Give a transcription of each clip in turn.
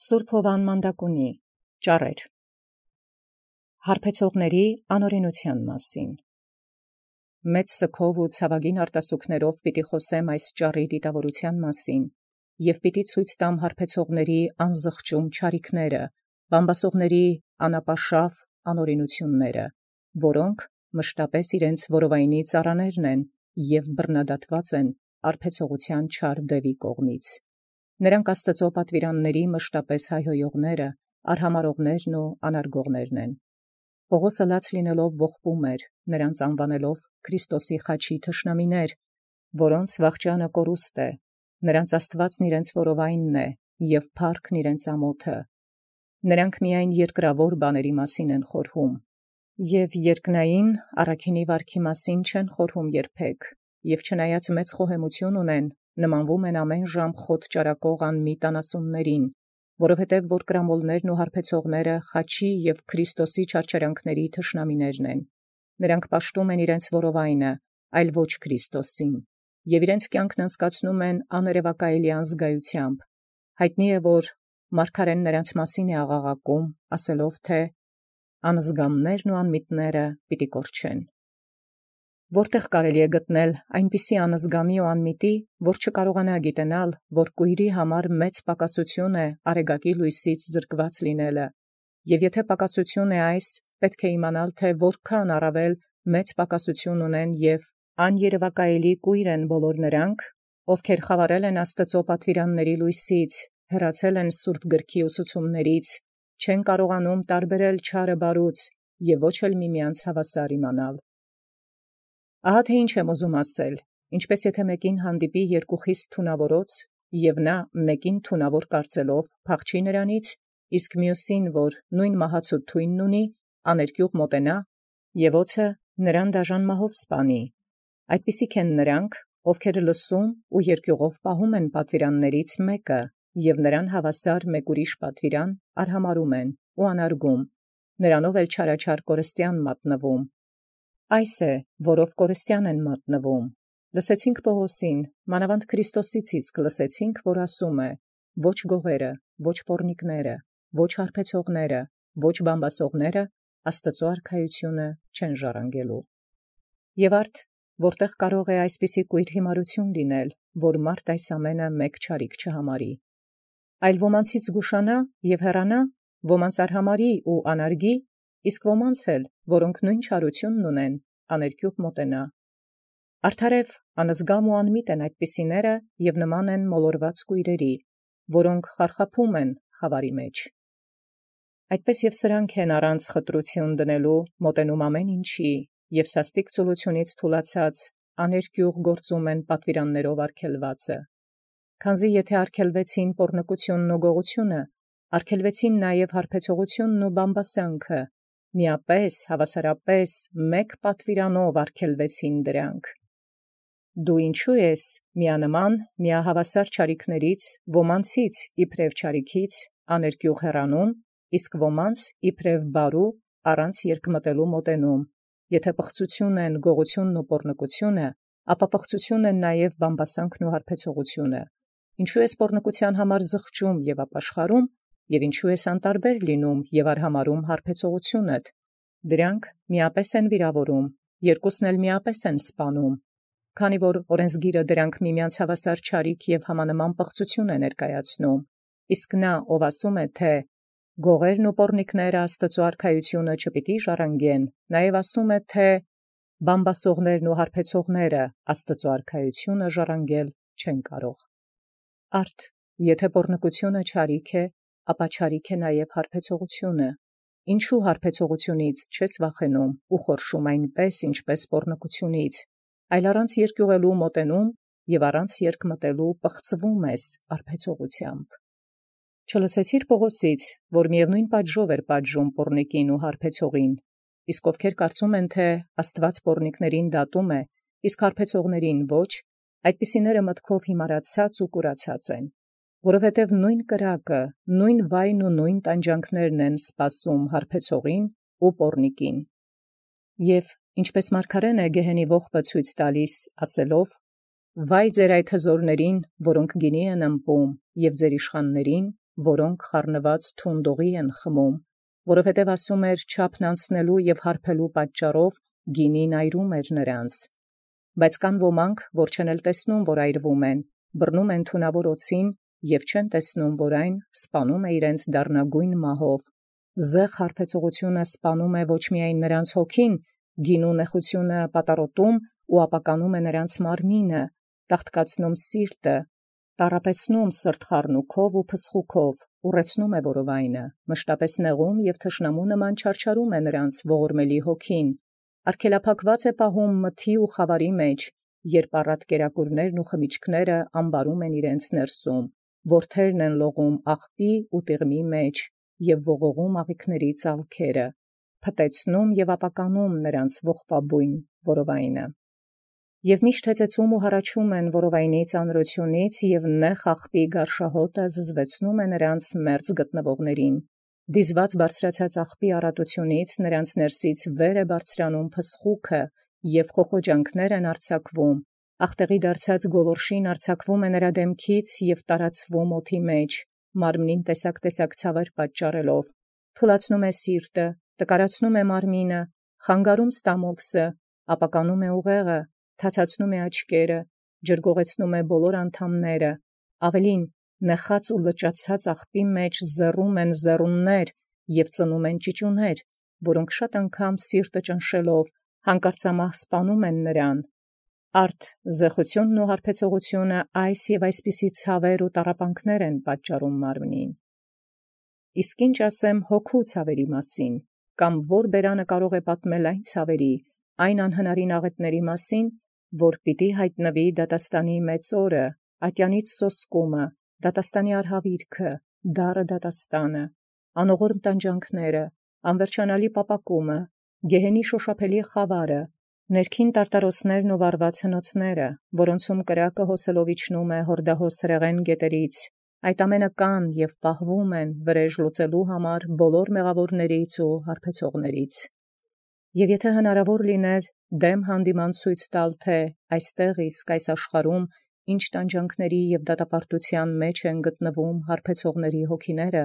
Սուրբ Հովան Մանդակունի ճառեր հարբեցողների անօրենության մասին։ Մեծ սգով ու ցավագին արտասուքներով պիտի խոսեմ այս ճառի դիտավորության մասին, և պիտի ցույց տամ հարբեցողների անզղջում չարիքները, բամբասողների անապաշավ անօրենությունները, որոնք մշտապես իրենց որովայնի ծառաներն են և բռնադատված են արբեցողության չար դևի կողմից։ Նրանք Աստծո պատվիրանների մշտապես հայհոյողները, արհամարողներն ու անարգողներն են։ Պողոսը լաց լինելով ողբում էր, նրանց անվանելով Քրիստոսի խաչի թշնամիներ, որոնց վախճանը կորուստ է, նրանց Աստվածն իրենց որովայնն է, և փառքն իրենց ամոթը։ Նրանք միայն երկրավոր բաների մասին են խորհում, և երկնային առաքինի վարքի մասին չեն խորհում երբեք, և չնայած մեծ խոհեմություն ունեն, նմանվում են ամեն ժամ խոտ ճարակող անմիտ անասուններին, որովհետև որ կրամոլներն ու հարբեցողները խաչի և Քրիստոսի չարչարանքների թշնամիներն են։ Նրանք պաշտում են իրենց որովայնը, այլ ոչ Քրիստոսին, և իրենց կյանքն անցկացնում են աներևակայելի անզգայությամբ։ Հայտնի է, որ մարգարեն նրանց մասին է աղաղակում, ասելով, թե «Անզգամներն ու անմիտները պիտի կորչեն»։ Որտեղ կարելի է գտնել այնպիսի անզգամի ու անմիտի, որ չկարողանա գիտենալ, որ կույրի համար մեծ պակասություն է արեգակի լույսից զրկված լինելը, և եթե պակասություն է այս, պետք է իմանալ, թե որքան առավել մեծ պակասություն ունեն և աներևակայելի կույր են բոլոր նրանք, ովքեր խավարել են Աստծո պատվիրանների լույսից, հեռացել են Սուրբ գրքի ուսուցումներից, չեն կարողանում տարբերել չարը բարուց և ոչ էլ միմյանց հավասար իմանալ։ Ահա թե ինչ եմ ուզում ասել, ինչպես եթե մեկին հանդիպի երկու խիստ թունավորոց, և նա մեկին թունավոր կարծելով փախչի նրանից, իսկ մյուսին, որ նույն մահացու թույնն ունի, աներկյուղ մոտենա, և օձը նրան դաժան մահով սպանի։ Այդպիսիք են նրանք, ովքեր լսում ու երկյուղով պահում են պատվիրաններից մեկը, և նրան հավասար մեկ ուրիշ պատվիրան արհամարում են ու անարգում, նրանով էլ չարաչար կորստյան մատնվում։ Այս է, որով կորստյան են մատնվում։ Լսեցինք Պողոսին, մանավանդ Քրիստոսից իսկ լսեցինք, որ ասում է. ոչ գողերը, ոչ պոռնիկները, ոչ հարբեցողները, ոչ բամբասողները Աստծո արքայությունը չեն ժառանգելու։ Եվ արդ, որտեղ կարող է այսպիսի կույր հիմարություն լինել, որ մարդ այս ամենը մեկ չարիք չհամարի, այլ ոմանցից զգուշանա և հեռանա, ոմանց արհամարի ու անարգի, իսկ ոմանց էլ, որոնք նույն չարությունն ունեն, աներկյուղ մոտենա։ Արդարև անզգամ ու անմիտ են այդպիսիները և նման են մոլորված կույրերի, որոնք խարխափում են խավարի մեջ։ Այդպես և սրանք են առանց խտրություն դնելու մոտենում ամեն ինչի, և սաստիկ ծուլությունից թուլացած աներկյուղ գործում են պատվիրաններով արգելվածը։ Քանզի եթե արգելվեցին պոռնկությունն ու գողությունը, արգելվեցին նաև հարբեցողությունն ու բամբասանքը, միապես հավասարապես մեկ պատվիրանով արգելվեցին դրանք։ Դու ինչու ես միանման միահավասար չարիքներից ոմանցից իբրև չարիքից աներկյուղ հեռանում, իսկ ոմանց իբրև բարու առանց երկմտելու մոտենում, եթե պղծություն են գողությունն ու պոռնկությունը, ապա պղծություն են նաև բամբասանքն ու հարբեցողությունը։ Ինչու ես պոռնկության համար զղջում և ապաշխարում, և ինչու ես անտարբեր լինում և արհամարում հարբեցողությունդ։ Դրանք միապես են վիրավորում, երկուսն էլ միապես են սպանում, քանի որ օրենսգիրը դրանք միմյանց հավասար չարիք և համանման պղծություն է ներկայացնում, իսկ նա, ով ասում է, թե գողերն ու պոռնիկները Աստծո արքայությունը չպիտի ժառանգեն, նաև ասում է, թե բամբասողներն ու հարբեցողները Աստծո արքայությունը ժառանգել չեն կարող։ Արդ, եթե պոռնկությունը չարիք է, ապա չարիք է նաև հարբեցողությունը։ Ինչու հարբեցողությունից չես վախենում ու խորշում այնպես, ինչպես պոռնկությունից, այլ առանց երկյուղելու մոտենում և առանց երկմտելու պղծվում ես արբեցողությամբ։ Չլսեցիր Պողոսից, որ միևնույն պատժով էր պատժում պոռնիկին ու հարբեցողին, իսկ ովքեր կարծում են, թե Աստված պոռնիկներին դատում է, իսկ հարբեցողներին ոչ, այդպիսիները մտքով հիմարացած ու կուրացած են, որովհետև նույն կրակը, նույն վայն ու նույն տանջանքներն են սպասում հարբեցողին ու պոռնիկին։ Եվ ինչպես մարգարեն է գեհենի ողբը ցույց տալիս, ասելով. «Վայ ձեր այդ հզորներին, որոնք գինի են ըմպում, և ձեր իշխաններին, որոնք խառնված թունդողի են խմում, որովհետև ասում էր չափն անցնելու և հարբելու պատճառով գինին այրում էր նրանց։ Բայց կան ոմանք, որ չեն էլ տեսնում, որ այրվում են, բռնում են թունավոր օձին և չեն տեսնում, որ այն սպանում է իրենց դառնագույն մահով։ Զեղ հարբեցողությունը սպանում է ոչ միայն նրանց հոգին, գինու նեխությունը պատառոտում ու ապականում է նրանց մարմինը, տաղտկացնում սիրտը, տառապեցնում սրտխառնուքով ու փսխուքով, ուռեցնում է որովայնը, մշտապես նեղում և թշնամու նման չարչարում է նրանց ողորմելի հոգին, արգելափակված է պահում մթի ու խավարի մեջ, երբ առատ կերակուրներն ու խմիչքները ամբարում են իրենց ներսում, որդերն են լողում աղբի ու տիղմի մեջ և ողողում աղիքների ծալքերը, փտեցնում և ապականում նրանց ողբաբույն որովայնը։ Եվ միշտ հեծեծում ու հառաչում են որովայնի ծանրությունից, և նեղ աղբի գարշահոտը զզվեցնում է նրանց մերձ գտնվողներին։ Դիզված բարձրացած աղբի առատությունից նրանց ներսից վեր է բարձրանում փսխուքը, և խոխոջանքներ են արձակվում, աղտեղի դարձած գոլորշին արձակվում է նրա դեմքից և տարածվում օդի մեջ, մարմնին տեսակ ցավեր պատճառելով, թուլացնում է սիրտը, տկարացնում է մարմինը, խանգարում ստամոքսը, ապականում է ուղեղը, թացացնում է աչքերը, ջրգողեցնում է բոլոր անդամները, ավելին նեխած ու լճացած աղբի մեջ զեռում են զեռուններ և ծնում են ճիճուներ, որոնք շատ անգամ սիրտը ճնշելով հանկարծամահ սպանում են նրան։ Արդ զեղությունն ու հարբեցողությունը այս և այսպիսի ցավեր ու տառապանքներ են պատճառում մարմնին։ Իսկ ինչ ասեմ հոգու ցավերի մասին, կամ որ բերանը կարող է պատմել այն ցավերի, այն անհնարին աղետների մասին, որ պիտի հայտնվի դատաստանի մեծ օրը, ատյանից սոսկումը, դատաստանի արհավիրքը, դառը դատաստանը, անողորմ տանջանքները, անվերջանալի պապակումը, գեհենի շոշափելի խավարը, ներքին տարտարոսներն ու վառված հնոցները, որոնցում կրակը հոսելով իջնում է հորդահոս հրեղեն գետերից, այդ ամենը կան և պահվում են վրեժ լուծելու համար բոլոր մեղավորներից ու հարբեցողներից։ Եվ եթե հնարավոր լիներ դեմ հանդիման ցույց տալ, թե այստեղ իսկ այս աշխարհում ինչ տանջանքների և դատապարտության մեջ են գտնվում հարբեցողների հոգիները,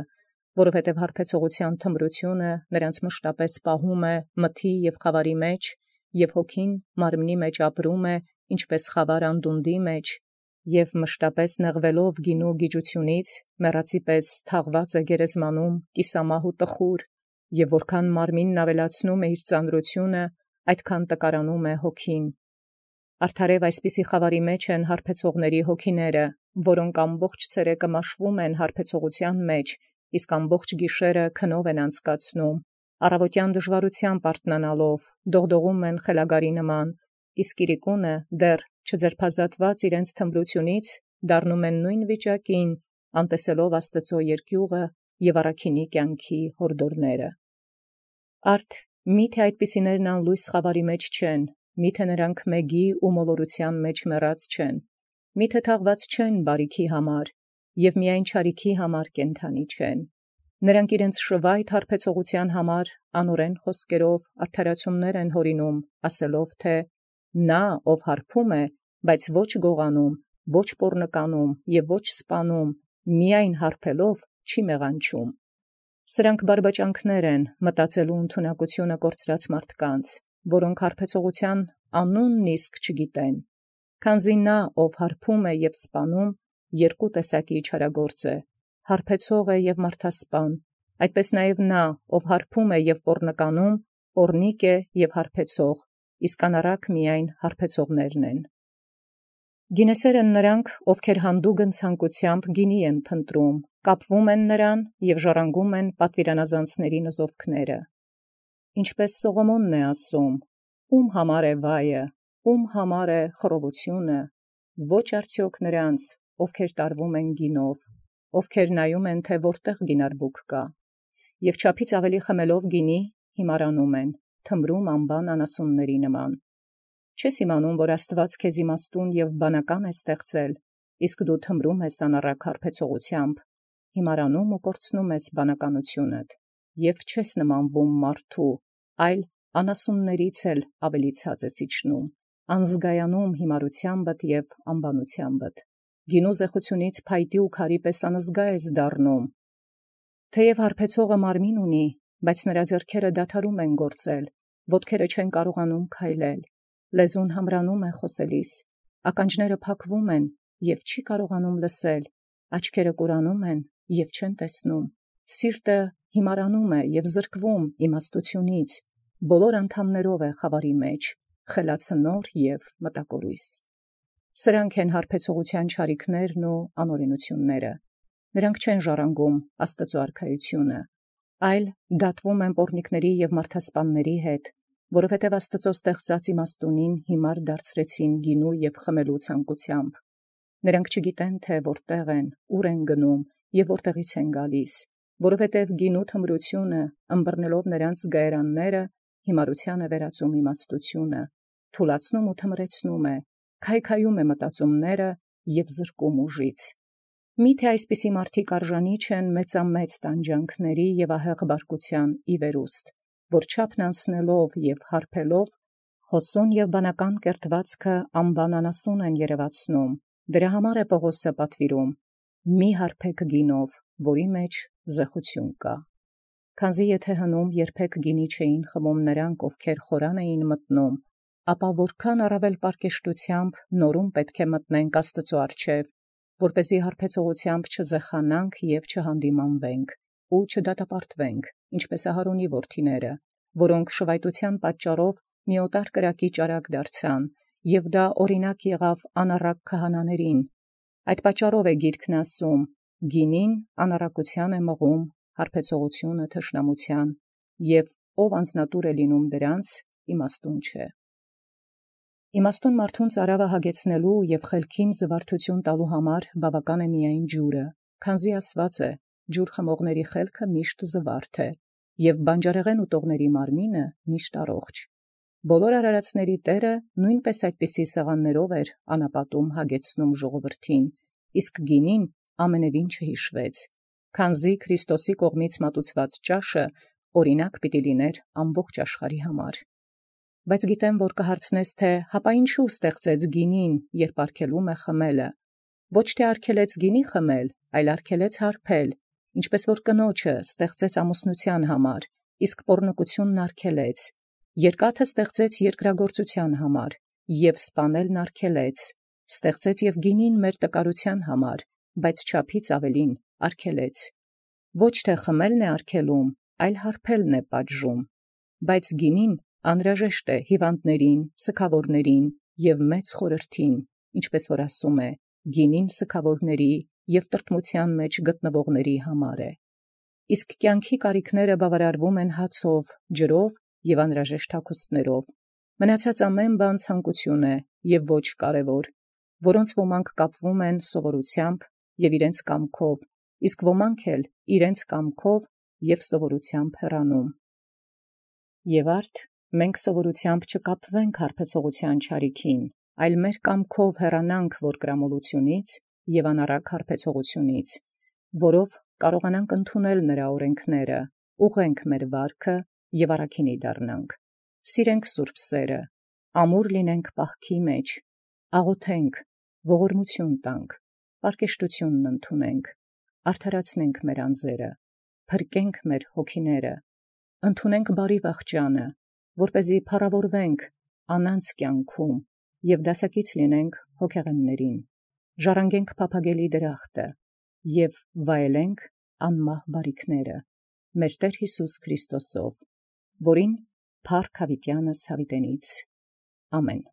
որովհետև հարբեցողության թմրությունը նրանց մշտապես պահում է մթի և խավարի մեջ, և հոգին մարմնի մեջ ապրում է ինչպես խավար անդունդի մեջ, և մշտապես նեղվելով գինու գիջությունից, մեռածի պես թաղված է գերեզմանում կիսամահ ու տխուր, և որքան մարմինն ավելացնում է իր ծանրությունը, այդքան տկարանում է հոգին։ Արդարև այսպիսի խավարի մեջ են հարբեցողների հոգիները, որոնք ամբողջ ցերեկը մաշվում են հարբեցողության մեջ, իսկ ամբողջ գիշերը քնով են անցկացնում, առավոտյան դժվարությամբ արթնանալով, դողդողում են խելագարի նման, իսկ իրիկունը դեռ չձերբազատված իրենց թմրությունից դառնում են նույն վիճակին, անտեսելով Աստծո երկյուղը և առաքինի կյանքի հորդորները։ Արդ միթե այդպիսիներն անլույս խավարի մեջ չեն, միթե նրանք մեգի ու մոլորության մեջ մեռած չեն, միթե թաղված չեն բարիքի համար, և միայն չարիքի համար կենդանի չեն։ Նրանք իրենց շվայտ հարբեցողության համար անօրեն խոսքերով արդարացումներ են հորինում, ասելով, թե նա, ով հարբում է, բայց ոչ գողանում, ոչ պոռնկանում և ոչ սպանում, միայն հարբելով չի մեղանչում։ Սրանք բարբաճանքներ են մտածելու ընդունակությունը կորցրած մարդկանց, որոնք հարբեցողության անունն իսկ չգիտեն, քանզի նա, ով հարբում է և սպանում, երկու տեսակի չարագործ է, հարբեցող է և մարդասպան, այդպես նաև նա, ով հարբում է և պոռնկանում, պոռնիկ է և հարբեցող, իսկ անառակ միայն հարբեցողներն են։ Գինեսեր են նրանք, ովքեր հանդուգն ցանկությամբ գինի են փնտրում, կապվում են նրան և ժառանգում են պատվիրանազանցների նզովքները։ Ինչպես Սողոմոնն է ասում. «Ում համար է վայը, ում համար է խռովությունը, ոչ արդյոք նրանց, ովքեր տարվում են գինով, ովքեր նայում են, թե որտեղ գինարբուք կա, և չափից ավելի խմելով գինի, հիմարանում են, թմրում անբան անասունների նման։ Չես իմանում, որ Աստված քեզ իմաստուն և բանական է ստեղծել, իսկ դու թմրում ես անառակ հարբեցողությամբ, հիմարանում ու կորցնում ես բանականությունդ, և չես նմանվում մարդու, այլ անասուններից էլ ավելի ցած ես իջնում, անզգայանում հիմարությանդ և անբանությանդ։ Գինու զեղությունից փայտի ու քարի պես անզգա ես դառնում, Թեև հարբեցողը մարմին ունի, բայց նրա ձեռքերը դադարում են գործել, ոտքերը չեն կարողանում քայլել, լեզուն համրանում է խոսելիս, ականջները փակվում են և չի կարողանում լսել, աչքերը կորանում են և չեն տեսնում, սիրտը հիմարանում է և զրկվում իմաստությունից, բոլոր անդամներով է խավարի մեջ, խելացնոր և մտակորույս։ Սրանք են հարբեցողության չարիքներն ու անօրենությունները։ Նրանք չեն ժառանգում Աստծո արքայությունը, այլ դատվում են պոռնիկների և մարդասպանների հետ, որովհետև Աստծո ստեղծած իմաստունին հիմար դարձրեցին գինու և խմելու ցանկությամբ։ Նրանք չգիտեն, թե որտեղ են, ուր են գնում և որտեղից են գալիս, որովհետև գինու թմրությունը, ըմբռնելով նրանց զգայարանները, հիմարության է վերածում իմաստությունը, թուլացնում ու թմրեցնում է, քայքայում է մտածումները և զրկում ուժից։ Միթե այսպիսի մարդիկ արժանի չեն մեծամեծ տանջանքների և ահեղ բարկության ի վերուստ, որ չափն անցնելով և հարբելով, խոսուն և բանական կերտվածքը անբանանասուն են երևացնում, դրա համար է Պողոսը պատվիրում. «Մի հարբեք գինով, որի մեջ զեխություն կա»։ Քանզի եթե հնում երբեք գինի չէին խմում նրանք, ովքեր խորան էին մտնում, ապա որքան առավել պարկեշտությամբ նորում պետք է մտնենք Աստծո առջև, որպեսզի հարբեցողությամբ չզեխանանք և չհանդիմանվենք, ու չդատապարտվենք, ինչպես Ահարոնի որդիները, որոնք շվայտության պատճառով մի օտար կրակի ճարակ դարձան, և դա օրինակ եղավ անառակ քահանաներին։ Այդ պատճառով է գիրքն ասում. «Գինին անառակության է մղում, հարբեցողությունը թշնամության, և ով անձնատուր է լինում դրանց, իմաստուն չէ»։ Իմաստուն մարդուն ծարավը հագեցնելու և խելքին զվարթություն տալու համար բավական է միայն ջուրը, քանզի ասված է. «Ջուր խմողների խելքը միշտ զվարթ է, և բանջարեղեն ուտողների մարմինը միշտ առողջ»։ Բոլոր արարածների Տերը նույնպես այդպիսի սեղաններով էր անապատում հագեցնում ժողովրդին, իսկ գինին ամենևին չհիշվեց, քանզի Քրիստոսի կողմից մատուցված ճաշը օրինակ պիտի լիներ ամբողջ աշխարհի համար։ Բայց գիտեմ, որ կհարցնես, թե հապա ինչու ստեղծեց գինին, երբ արգելում է խմելը։ Ոչ թե արգելեց գինի խմել, այլ արգելեց հարբել, ինչպես որ կնոջը ստեղծեց ամուսնության համար, իսկ պոռնկությունն արգելեց, երկաթը ստեղծեց երկրագործության համար, և սպանելն արգելեց, ստեղծեց և գինին մեր տկարության համար, բայց չափից ավելին արգելեց։ Ոչ թե խմելն է արգելում, այլ հարբելն է պատժում, բայց գինին անհրաժեշտ է հիվանդներին, սգավորներին և մեծ խորհրդին, ինչպես որ ասում է. «Գինին սգավորների և տրտմության մեջ գտնվողների համար է»։ Իսկ կյանքի կարիքները բավարարվում են հացով, ջրով և անհրաժեշտ հագուստներով։ Մնացած ամեն բան ցանկություն է և ոչ կարևոր, որոնց ոմանք կապվում են սովորությամբ և իրենց կամքով, իսկ ոմանք էլ իրենց կամքով և սովորությամբ հեռանում։ Եվ արդ մենք սովորությամբ չկապվենք հարբեցողության չարիքին, այլ մեր կամքով հեռանանք որկրամոլությունից և անառակ հարբեցողությունից, որով կարողանանք ընդունել նրա օրենքները, ուղղենք մեր վարքը և առաքինի դառնանք, սիրենք սուրբ սերը, ամուր լինենք պահքի մեջ, աղոթենք, ողորմություն տանք, պարկեշտությունն ընդունենք, արդարացնենք մեր անձերը, փրկենք մեր հոգիները, ընդունենք բարի վախճանը, որպեսզի փառավորվենք անանց կյանքում և դասակից լինենք հոգեղեններին, ժառանգենք փափագելի դրախտը և վայելենք անմահ բարիքները մեր Տեր Հիսուս Քրիստոսով, որին փառք հավիտյանս հավիտենից։ Ամեն։